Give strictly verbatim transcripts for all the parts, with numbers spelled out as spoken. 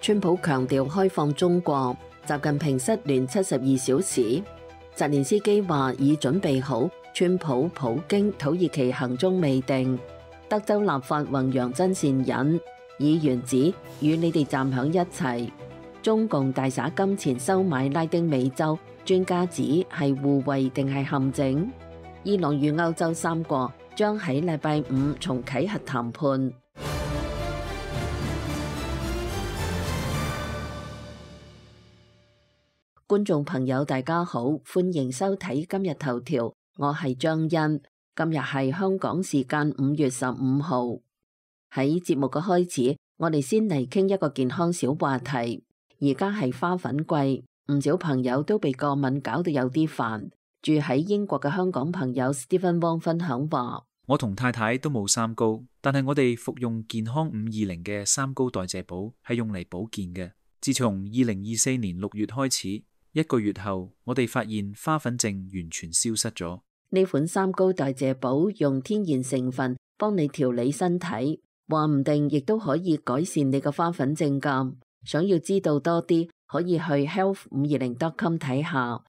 川普強調開放中國，習近平失聯七十二小時。澤連斯基話已準備好，川普、普京、土耳其行蹤未定。德州立法弘揚真善忍，議員指與你哋站響一齊。中共大灑金錢收買拉丁美洲，專家指係互惠定係陷阱。伊朗與歐洲三國將喺禮拜五重啟核談判。觀眾朋友大家好，歡迎收睇今日頭條，我係張欣。今日係香港時間五月十五號。喺節目嘅開始，我哋先嚟傾一個健康小話題。而家係花粉季，唔少朋友都被過敏搞到有啲煩。住喺英國嘅香港朋友 Stephen Wong 分享話：我同太太都冇三高，但係我哋服用健康五二零嘅三高代謝寶係用嚟保健嘅。自從二零二四年六月開始，一個月後，我哋發現花粉症完全消失咗。呢款三高代謝寶用天然成分幫你調理身體，話唔定亦都可以改善你嘅花粉症㗎。想要知道多啲，可以去 health 五二零 dot com 睇下。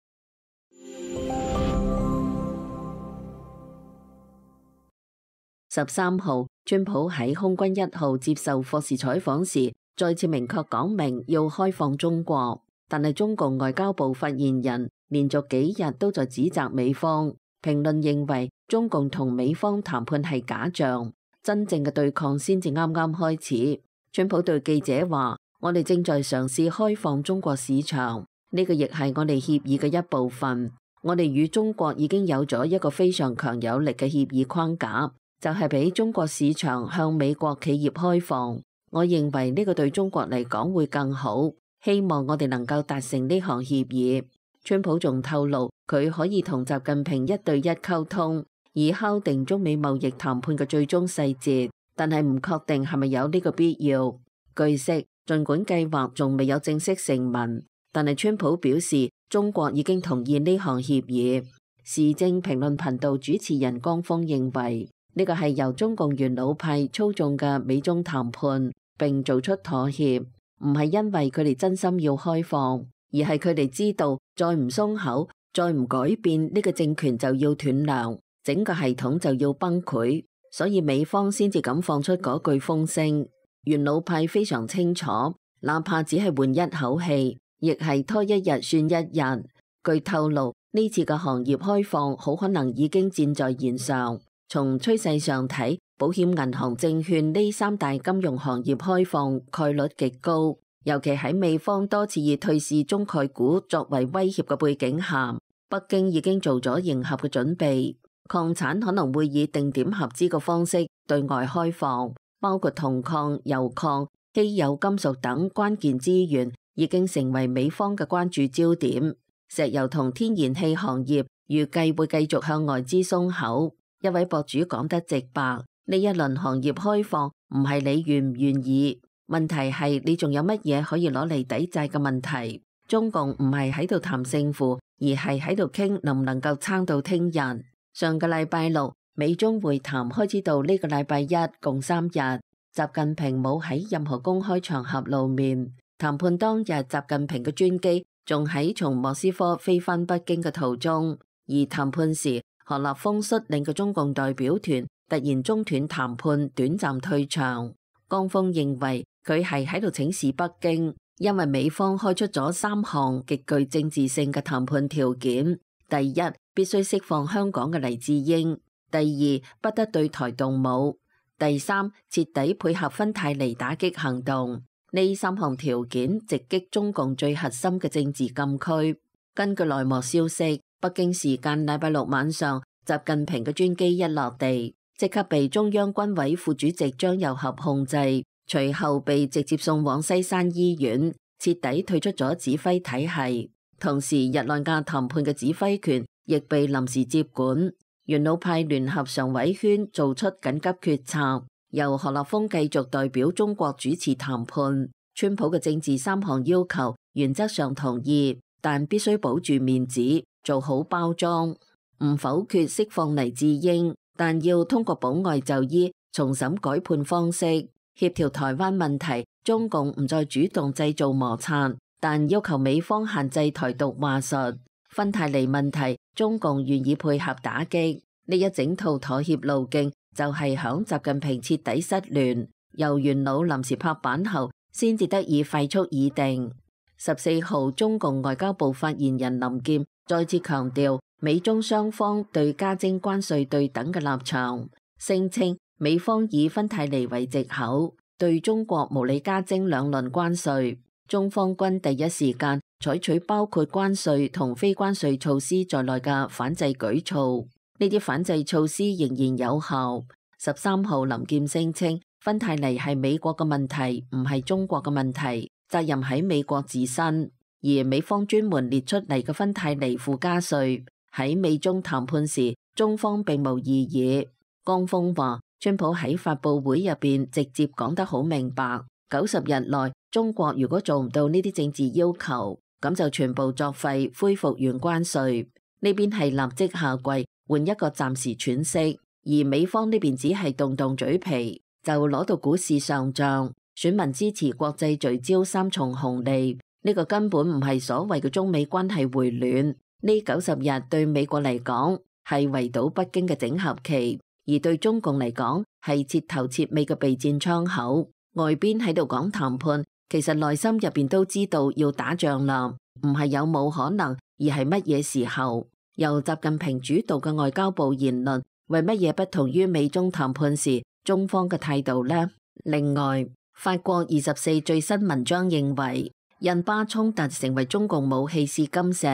十三號，川普喺空軍一號接受霍士採訪時，再次明確講明要開放中國。但係中共外交部發言人連續幾日都在指責美方。評論認為中共同美方談判係假象，真正嘅對抗先至啱啱開始。川普對記者話：我哋正在嘗試開放中國市場，呢個亦係我哋協議嘅一部分。我哋與中國已經有咗一個非常強有力嘅協議框架，就係俾中國市場向美國企業開放。我認為呢個對中國嚟講會更好。希望我哋能夠達成呢項協議。川普仲透露，佢可以同習近平一對一溝通，以敲定中美貿易談判嘅最終細節，但係唔確定係咪有呢個必要。據悉，儘管計劃仲未有正式成文，但係川普表示中國已經同意呢項協議。時政評論頻道主持人江峰認為，呢個係由中共元老派操縱嘅美中談判，並做出妥協。唔係因為佢哋真心要開放，而係佢哋知道再唔鬆口，再唔改變，呢個政權就要斷糧，整個系統就要崩潰，所以美方先至敢放出嗰句風聲。元老派非常清楚，哪怕只係換一口氣，亦係拖一日算一日。據透露，呢次嘅行業開放好可能已經箭在弦上。從趨勢上睇，保險、銀行、證券呢三大金融行業開放概率極高，尤其喺美方多次以退市中概股作為威脅嘅背景下，北京已經做咗迎合嘅準備。礦產可能會以定點合資嘅方式對外開放，包括銅礦、油礦、稀有金屬等關鍵資源已經成為美方嘅關注焦點。石油同天然氣行業預計會繼續向外資鬆口。一位博主講得直白，呢一輪行業開放唔係你願唔願意，問題係你仲有乜嘢可以攞嚟抵債嘅問題。中共唔係喺度談勝負，而係喺度傾能唔能夠撐到聽日。上個禮拜六，美中會談開始到呢個禮拜一，共三日。習近平冇喺任何公開場合露面。談判當日，習近平嘅專機仲喺從莫斯科飛返北京嘅途中，而談判時，何立峰率領嘅中共代表團突然中斷談判，短暫退場。江峰認為佢係喺度請示北京，因為美方開出咗三項極具政治性嘅談判條件：第一，必須釋放香港嘅黎智英；第二，不得對台動武；第三，徹底配合芬太尼打擊行動。呢三項條件直擊中共最核心嘅政治禁區。根據內幕消息，北京時間禮拜六晚上，習近平嘅專機一落地，即刻被中央軍委副主席張又俠控制，隨後被直接送往西山醫院，徹底退出咗指揮體系。同時，日內瓦談判嘅指揮權亦被臨時接管。元老派聯合常委圈做出緊急決策，由何立峰繼續代表中國主持談判。川普嘅政治三項要求原則上同意，但必須保住面子，做好包裝。唔否決釋放黎智英，但要通過保外就醫重審改判方式，協調台灣問題中共唔再主動製造摩擦，但要求美方限制台獨話術。芬太尼問題，中共願意配合打擊。呢一整套妥協路徑就係響習近平徹底失聯，由元老臨時拍板後，先至得以廢速擬定。十四號，中共外交部發言人林劍再次強調美中雙方對加徵關稅對等嘅立場，聲稱美方以芬太尼為藉口，對中國無理加徵兩輪關稅，中方軍第一時間採取包括關稅同非關稅措施在內嘅反制舉措，呢啲反制措施仍然有效。十三號，林劍聲稱芬太尼係美國嘅問題，唔係中國嘅問題，責任喺美國自身。而美方專門列出嚟嘅芬太尼附加稅，喺美中談判時，中方並無異議。江峰話，川普喺發佈會入邊直接講得好明白，九十日內中國如果做唔到呢啲政治要求，咁就全部作廢，恢復原關稅。呢邊係立即下跪，換一個暫時喘息，而美方呢邊只係動動嘴皮，就攞到股市上漲，選民支持國際聚焦三重紅利。呢個根本唔係所謂嘅中美關係回暖，呢九十日對美國嚟講係圍堵北京嘅整合期，而對中共嚟講係徹頭徹尾嘅備戰窗口。外邊喺度講談判，其實內心入邊都知道要打仗啦，唔係有冇可能，而係乜嘢時候。由習近平主導嘅外交部言論，為乜嘢不同於美中談判時中方嘅態度呢？另外，法國二十四最新文章認為，印巴衝突成為中共武器試金石。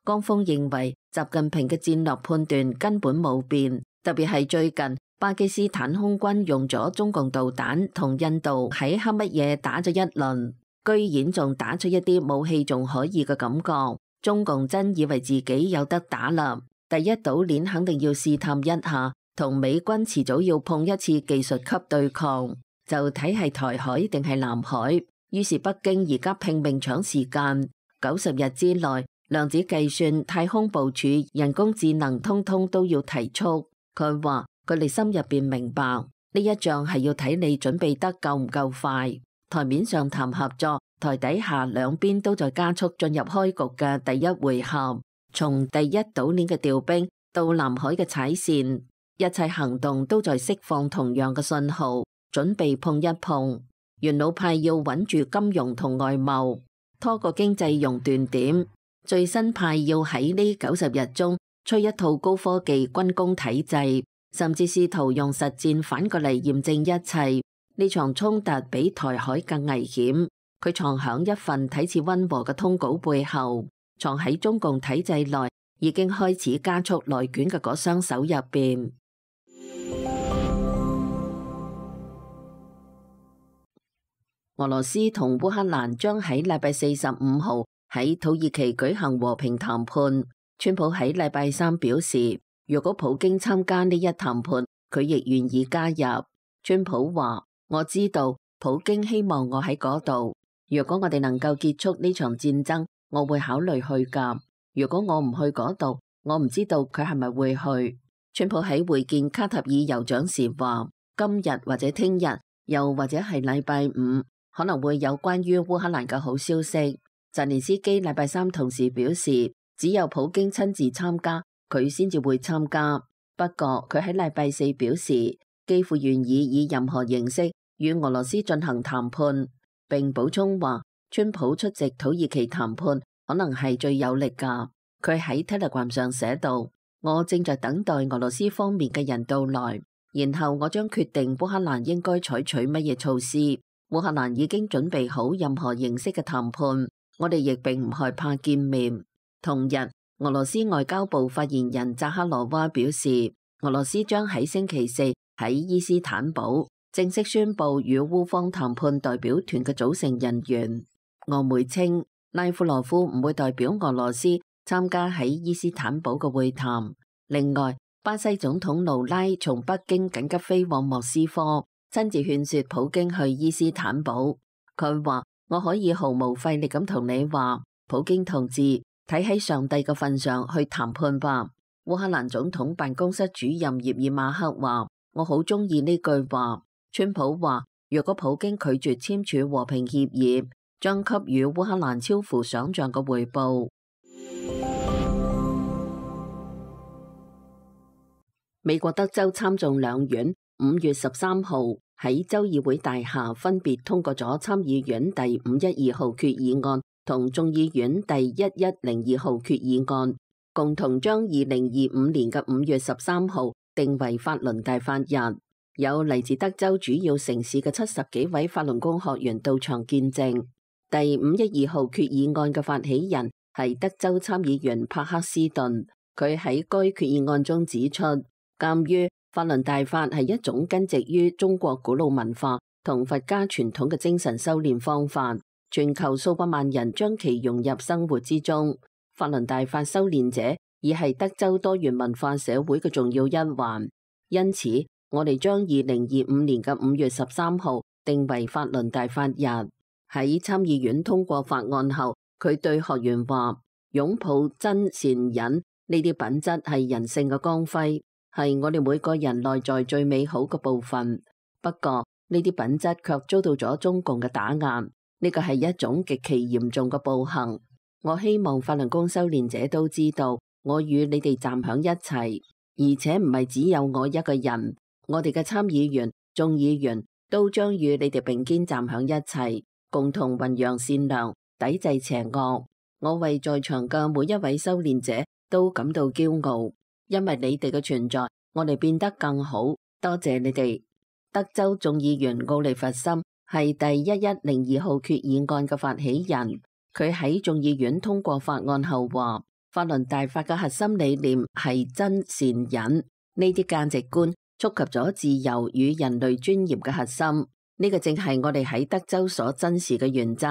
江峰認為習近平嘅戰略判斷根本冇變，特別係最近巴基斯坦空軍用咗中共導彈同印度喺黑乜嘢打咗一輪，居然仲打出一啲武器仲可以嘅感覺。中共真以為自己有得打啦，第一島鏈肯定要試探一下，同美軍遲早要碰一次技術級對抗，就睇係台海定係南海。於是北京而家拼命搶時間，九十日之內，量子計算、太空部署、人工智能，通通都要提速。佢話佢哋心入邊明白，呢一仗係要睇你準備得夠唔夠快。台面上談合作，台底下兩邊都在加速進入開局嘅第一回合。從第一島鏈嘅調兵到南海嘅踩線，一切行動都在釋放同樣嘅信號，準備碰一碰。元老派要穩住金融同外貿，拖個經濟熔斷點；最新派要喺呢九十日中吹一套高科技軍工體制，甚至試圖用實戰反過嚟驗證一切。呢場衝突比台海更危險，佢藏響一份睇似溫和嘅通稿背後，藏喺中共體制內已經開始加速內捲嘅嗰雙手入邊。俄羅斯同烏克蘭將喺禮拜四十五號喺土耳其舉行和平談判。川普喺禮拜三表示，如果普京參加呢一談判，佢亦願意加入。川普話：我知道普京希望我喺嗰度。如果我哋能夠結束呢場戰爭，我會考慮去㗎。如果我唔去嗰度，我唔知道佢係咪會去。川普喺會見卡塔爾酋長時話：今日或者聽日，又或者係禮拜五，可能會有關於烏克蘭嘅好消息。澤連斯基禮拜三同時表示，只有普京親自參加，佢先至會參加。不過佢喺禮拜四表示，幾乎願意以任何形式與俄羅斯進行談判，並補充話，川普出席土耳其談判可能係最有力㗎。佢喺 Telegram 上寫道：我正在等待俄羅斯方面嘅人到來，然後我將決定烏克蘭應該採取乜嘢措施。烏克蘭已經準備好任何形式嘅談判，我哋亦並唔害怕見面。同日，俄羅斯外交部發言人扎哈羅娃表示，俄羅斯將喺星期四喺伊斯坦堡正式宣布與烏方談判代表團嘅組成人員。俄媒稱，拉夫羅夫唔會代表俄羅斯參加喺伊斯坦堡嘅會談。另外，巴西總統盧拉從北京緊急飛往莫斯科，親自勸說普京去伊斯坦堡。佢話：我可以毫無費力咁同你話，普京同志，睇喺上帝嘅份上去談判吧。烏克蘭總統辦公室主任葉爾馬克話：我好中意呢句話。川普話：若果普京拒絕簽署和平協議，將給予烏克蘭超乎想象嘅回報。美國德州參眾兩院五月十三號喺州議會大廈分別通過咗參議院第五一二號決議案同眾議院第一一零二號決議案，共同將二零二五年嘅五月十三號定為法輪大法日。有嚟自德州主要城市嘅七十幾位法輪功學員到場見證。第五一二號決議案嘅發起人係德州參議員帕克斯頓，佢喺該決議案中指出，鑒於法輪大法係一種根植於中國古老文化同佛家傳統嘅精神修煉方法，全球數百萬人將其融入生活之中。法輪大法修煉者已係德州多元文化社會嘅重要一環，因此我哋將二零二五年嘅五月十三號定為法輪大法日。喺參議院通過法案後，佢對學員話：擁抱真善忍呢啲品質係人性嘅光輝，係我哋每個人內在最美好嘅部分。不過呢啲品質卻遭到咗中共嘅打壓，呢個係一種極其嚴重嘅暴行。我希望法輪功修煉者都知道，我與你哋站響一齊，而且唔係只有我一個人。我哋嘅參議員、眾議員都將與你哋並肩站響一齊，共同弘揚善良，抵制邪惡。我為在場嘅每一位修煉者都感到驕傲，因為你哋嘅存在，我哋變得更好。多謝你哋。德州眾議員奧利弗森係第一一零二號決議案嘅發起人，佢喺眾議院通過法案後話：法輪大法嘅核心理念係真善忍，呢啲價值觀觸及咗自由與人類尊嚴嘅核心，呢個正係我哋喺德州所珍視嘅原則。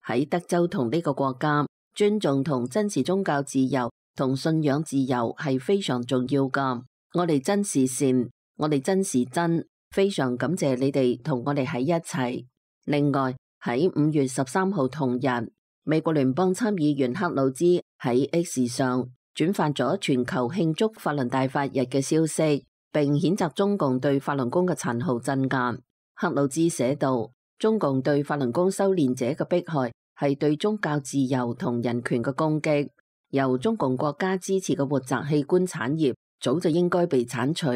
喺德州同呢個國家，尊重同珍視宗教自由同信仰自由係非常重要噶。我哋珍視善，我哋珍視真，非常感謝你哋同我哋喺一齊。另外喺五月十三號同日，美國聯邦參議員克魯茲喺 X 上轉發咗全球慶祝法輪大法日嘅消息，並譴責中共對法輪功嘅殘酷鎮壓。克魯茲寫道：中共對法輪功修煉者嘅迫害係對宗教自由同人權嘅攻擊。由中共國家支持嘅活摘器官產業早就應該被鏟除。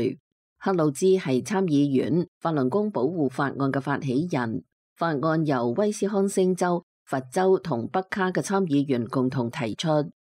克魯茲係參議院法輪功保護法案嘅發起人，法案由威斯康星州、佛州同北卡嘅參議員共同提出，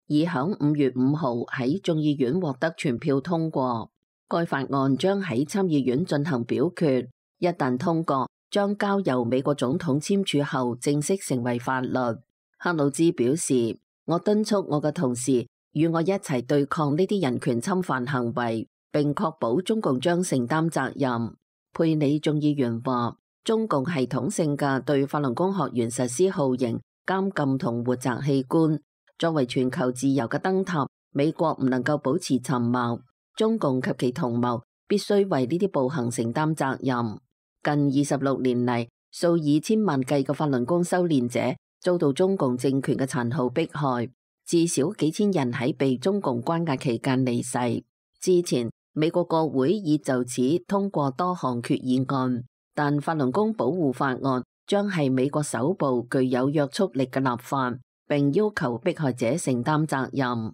已響五月五號喺眾議院獲得全票通過。該法案將喺參議院進行表決，一旦通過，將交由美國總統簽署後正式成為法律。克魯茲表示：我敦促我嘅同事與我一齊對抗呢啲人權侵犯行為，並確保中共將承擔責任。佩里眾議員話：中共系統性嘅對法輪功學員實施酷刑、監禁同活摘器官，作為全球自由嘅燈塔，美國唔能夠保持沉默。中共及其同謀必須為呢啲暴行承擔責任。近二十六年嚟，數以千萬計嘅法輪功修煉者遭到中共政權嘅殘酷迫害，至少幾千人喺被中共關押期間離世。之前，美國國會已就此通過多項決議案，但法輪功保護法案將係美國首部具有約束力嘅立法，並要求迫害者承擔責任。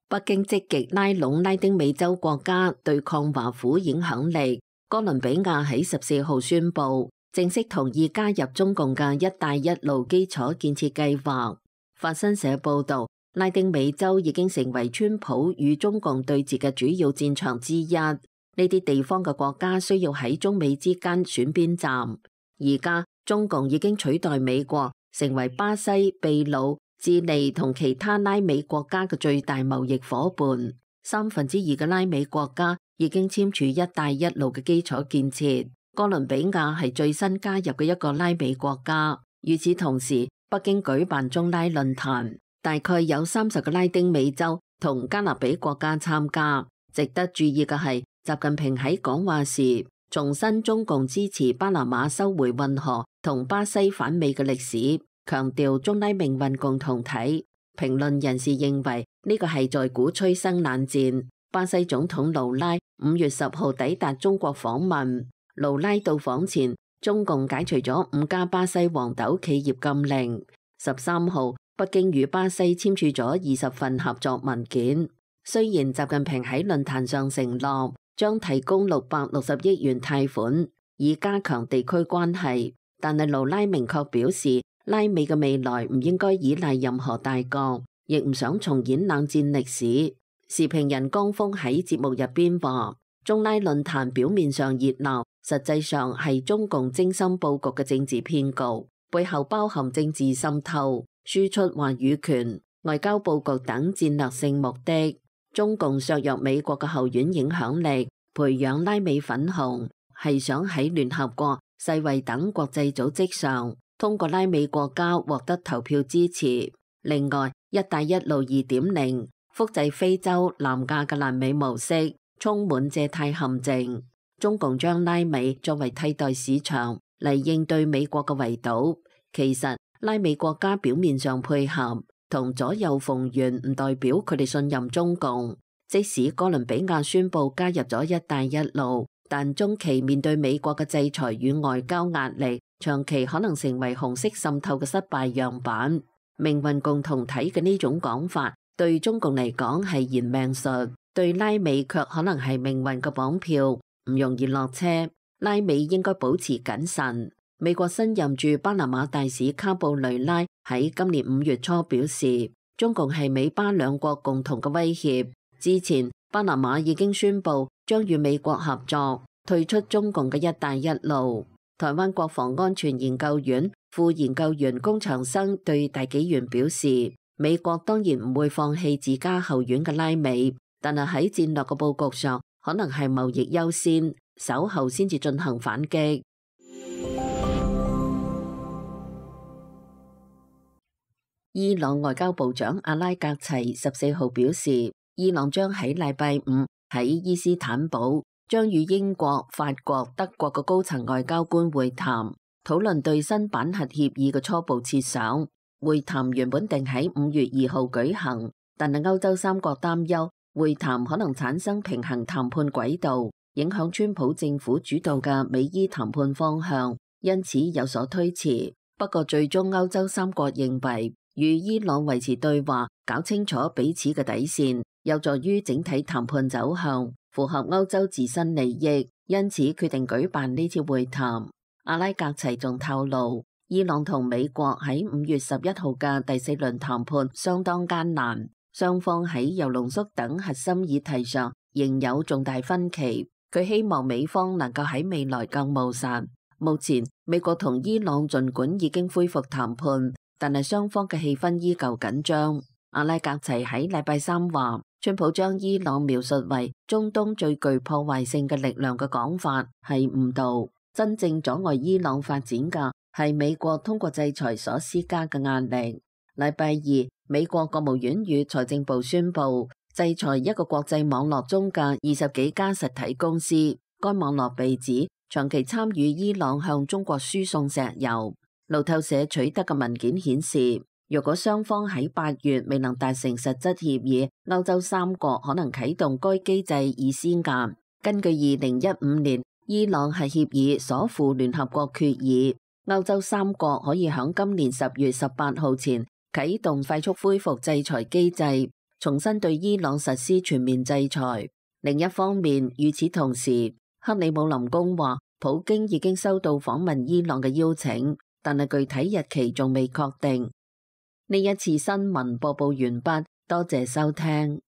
北京積極拉攏拉丁美洲國家對抗華府影響力。哥倫比亞喺十四號宣布正式同意加入中共嘅一帶一路基礎建設計劃。法新社報道，拉丁美洲已經成為川普與中共對峙嘅主要戰場之一。呢啲地方嘅國家需要喺中美之間選邊站。而家中共已經取代美國，成為巴西、秘魯、智利同其他拉美國家嘅最大貿易夥伴。三分之二嘅拉美國家已經簽署一帶一路嘅基礎建設。哥倫比亞係最新加入嘅一個拉美國家。與此同時，北京舉辦中拉論壇，大概有三十個拉丁美洲同加勒比國家參加。值得注意嘅係，習近平喺講話時重申中共支持巴拿馬收回運河同巴西反美嘅歷史，強調中拉命運共同體。評論人士認為呢個係在鼓吹新冷戰。巴西總統盧拉五月十號抵達中國訪問。盧拉到訪前，中共解除咗五家巴西黃豆企業禁令。十三號，北京與巴西簽署咗二十份合作文件。雖然習近平喺論壇上承諾將提供六百六十億元貸款，以加強地區關係，但係盧拉明確表示，拉美嘅未來唔應該依賴任何大國，亦唔想重演冷戰歷史。時評人江峰喺節目入邊話，中拉論壇表面上熱鬧，實際上係中共精心佈局嘅政治騙局，背後包含政治滲透、輸出話語權、外交佈局等戰略性目的。中共削弱美國嘅後院影響力，培養拉美粉紅，係想喺聯合國、世衛等國際組織上，通過拉美國家獲得投票支持。另外，一帶一路二點零複製非洲、南亞嘅爛尾模式，充滿借貸陷阱。中共將拉美作為替代市場嚟應對美國嘅圍堵，其實拉美國家表面上配合同左右逢源，唔代表佢哋信任中共。即使哥倫比亞宣布加入咗一帶一路，但中期面對美國嘅制裁與外交壓力，長期可能成為紅色滲透嘅失敗樣板。命運共同體嘅呢種講法，對中共嚟講係延命術，對拉美卻可能係命運嘅綁票，唔容易落車。拉美應該保持謹慎。美國新任駐巴拿馬大使卡布雷拉喺今年五月初表示，中共係美巴兩國共同嘅威脅。之前巴拿馬已經宣布將與美國合作退出中共嘅一帶一路。台灣國防安全研究院副研究員龔長生對大紀元表示，美國當然唔會放棄自家後院嘅拉美，但係喺戰略嘅佈局上，可能係貿易優先，稍後先至進行反擊。伊朗外交部長阿拉格齊十四號表示，伊朗將喺禮拜五喺伊斯坦堡將與英國、法國、德國嘅高層外交官會談，討論對新版核協議嘅初步設想。會談原本定喺五月二號舉行，但係歐洲三國擔憂會談可能產生平衡談判軌道，影響川普政府主導嘅美伊談判方向，因此有所推遲。不過最終歐洲三國認為，與伊朗維持對話，搞清楚彼此嘅底線，有助於整體談判走向，符合歐洲自身利益，因此決定舉辦呢次會談。阿拉格齊仲透露，伊朗同美國喺五月十一號嘅第四輪談判相當艱難，雙方喺鈾濃縮等核心議題上仍有重大分歧。佢希望美方能夠喺未來更務實。目前美國同伊朗儘管已經恢復談判，但係雙方嘅氣氛依舊緊張。阿拉格齊喺禮拜三話，川普將伊朗描述為中東最具破壞性嘅力量嘅講法係誤導，真正阻礙伊朗發展嘅係美國通過制裁所施加嘅壓力。禮拜二，美國國務院與財政部宣布制裁一個國際網絡中嘅二十幾家實體公司，該網絡被指長期參與伊朗向中國輸送石油。路透社取得嘅文件顯示，若果雙方喺八月未能達成實質協議，歐洲三國可能啟動該機制以施壓。根據二零一五年伊朗核協議所附聯合國決議，歐洲三國可以喺今年十月十八號前啟動快速恢復制裁機制，重新對伊朗實施全面制裁。另一方面，與此同時，克里姆林宮話普京已經收到訪問伊朗嘅邀請，但係具體日期仲未確定。呢一次新聞播報完畢，多謝收聽。